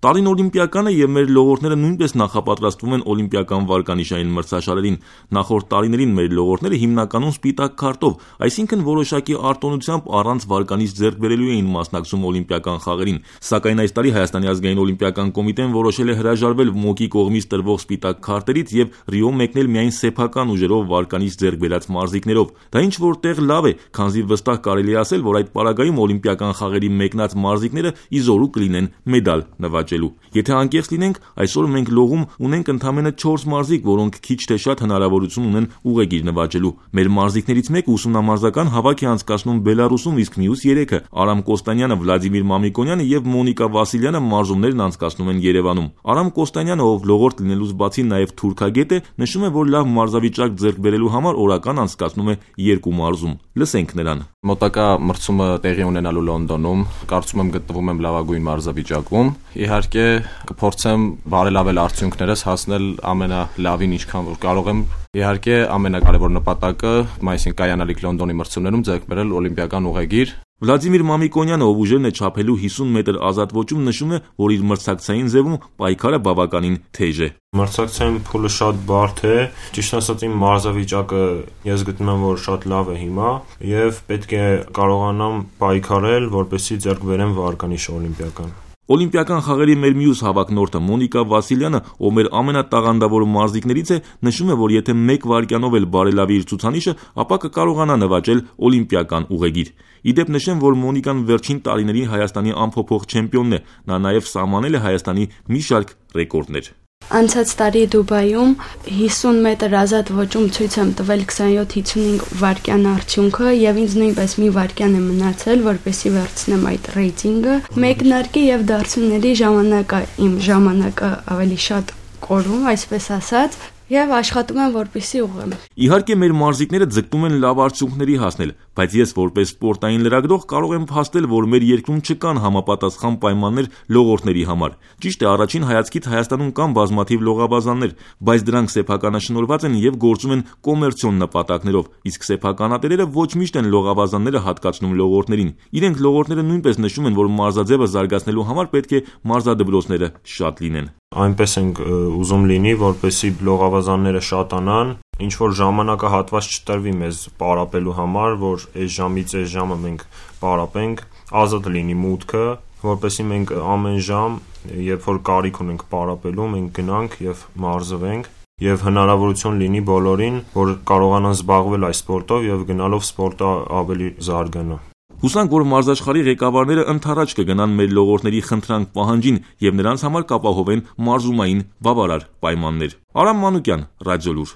Տալին օլիմպիականը եւ մեր լողորդները նույնպես նախապատրաստվում են օլիմպիական վարկանիշային մրցաշարերին։ Նախորդ տարիներին մեր լողորդները հիմնականում սպիտակ քարտով, այսինքն որոշակի արտոնությամբ առանց վարկանիշ ձեռք բերելու էին մասնակցում օլիմպիական խաղերին։ Սակայն այս տարի Հայաստանի ազգային օլիմպիական կոմիտեն որոշել է հրաժարվել ՄՕԿ-ի կողմից տրվող սպիտակ քարտերից եւ Ռիո մեկնել միայն սեփական ուժերով վարկանիշ ձեռք բերած մարզիկներով։ Դա ինչ որտեղ լավ է, քանզի վստահ կարելի է ասել, որ այդ պարագայում օլիմպիական խաղերի մեկնած մարզիկները իզորու կլինեն մեդալ նվաճելու։ Եթե անկեղծ լինենք, այսօր մենք լողում ունենք ընդամենը 4 մարզիկ, որոնք քիչ թե շատ հնարավորություն ունեն ուղեգիր նվաճելու։ Մեր մարզիկներից մեկը ուսումնամարզական հավաք է անցկացնում Բելարուսում, իսկ մյուս 3-ը Արամ Կոստանյանը, Վլադիմիր Մամիկոնյանը եւ Մոնիկա Վասիլյանը մարզումներն անցկացնում են Երևանում։ Արամ Կոստանյանը, ով լողորդ լինելուց բացի նաեւ թուրքագետ է, նշում է, որ լավ մարզավիճակ ձեռք բերելու համար օրական անցկացնում է 2 մարզում։ Լսենք նրան։ Մոտակա մրցումը տեղի ունենալու Լոնդոնում, կարծում եմ գտնվում եմ լավագույն մարզավիճակում։ Իհարկե կփորձեմ բարելավել արդյունքներս, հասնել ամենալավին ինչքան որ կարող եմ։ Իհարկե ամենակարևոր նպատակը մայիսին կայանալիք Լոնդոնի մրցումներում ձեռք բերել օլիմպիական ուղեգիր։ Վլադիմիր Մամիկոնյանը, ով ուժերն է չափելու 50 մետր ազատ ոճում, նշում է, որ իր մրցակցային ձևում պայքարը բավականին թեժ է։ Մրցակցային փուլը շատ բարդ է, ճիշտ ասած իմ մարզավիճակը ես գտնում եմ, որ շատ լավ է հիմա եւ պետք է կարողանամ պայքարել, որպեսզի ձեռք բերեմ վարկանիշ օլիմպիական։ Օլիմպիական խաղերի մեր մյուս հավաքնորդը Մոնիկա Վասիլյանը, ով մեր ամենատաղանդավոր մարզիկներից է, նշում է, որ եթե 1 վայրկյանով էլ բարելավի իր ցուցանիշը, ապա կկարողանա նվաճել օլիմպիական ուղեգիր։ Իդեպ նշեմ, որ Մոնիկան վերջին տարիների Հայաստանի անփոփոխ չեմպիոնն է, նա նաև սահմանել է Հայաստանի մի շարք ռեկորդներ։ Անցած տարի Դուբայում 50 մետր ազատ ոճում ցույց եմ տվել 27-55 վայրկյան արդյունքը եւ ինձ նույնպես մի վայրկյան է մնացել, որպեսզի վերցնեմ այդ ռեյտինգը։ Մեկնարկի եւ դարձումների ժամանակը իմ ժամանակը ավելի շատ կորում, այսպես ասած, եւ աշխատում եմ, որպեսզի ուղղեմ։ Իհարկե մեր մարզիկները ձգտում են լավ արդյունքների հասնել, բայց ես որպես սպորտային լրագրող կարող եմ փաստել, որ մեր երկրում չկան համապատասխան պայմաններ լողորդների համար։ Ճիշտ է, առաջին հայացքից Հայաստանում կան բազմաթիվ լողաբազաններ, բայց դրանք սեփականաշնորհված են եւ գործում են կոմերցիոն նպատակներով, իսկ սեփականատերերը ոչ միշտ են լողաբազանները հատկացնում լողորդներին։ Իրենք լողորդները նույնպես նշում են, որ մարզաձևը զարգացնելու համար պետք է մարզադպրոցները շատ լինեն։ Այնպես ենք ուզում լինի, որպեսզի լողավազանները շատանան, ինչ որ ժամանակահատված չտրվի մեզ պարապելու համար, որ այս ժամից այս ժամը մենք պարապենք, ազատ լինի մուտքը, որպեսզի մենք ամեն ժամ, երբ որ կարիք ունենք պարապելու, մենք գնանք եւ մարզվենք եւ հնարավորություն լինի բոլորին, որ կարողանան զբաղվել այս սպորտով եւ գնալով սպորտը ավելի զարգանա։ Հուսանք, որ մարզաշխարհի ղեկավարները ընդառաջ կգնան մեր լողորդների խնդրանք պահանջին եւ նրանց համար կապահովեն մարզումային բավարար պայմաններ։ Արամ Մանուկյան, Ռադիոլուր։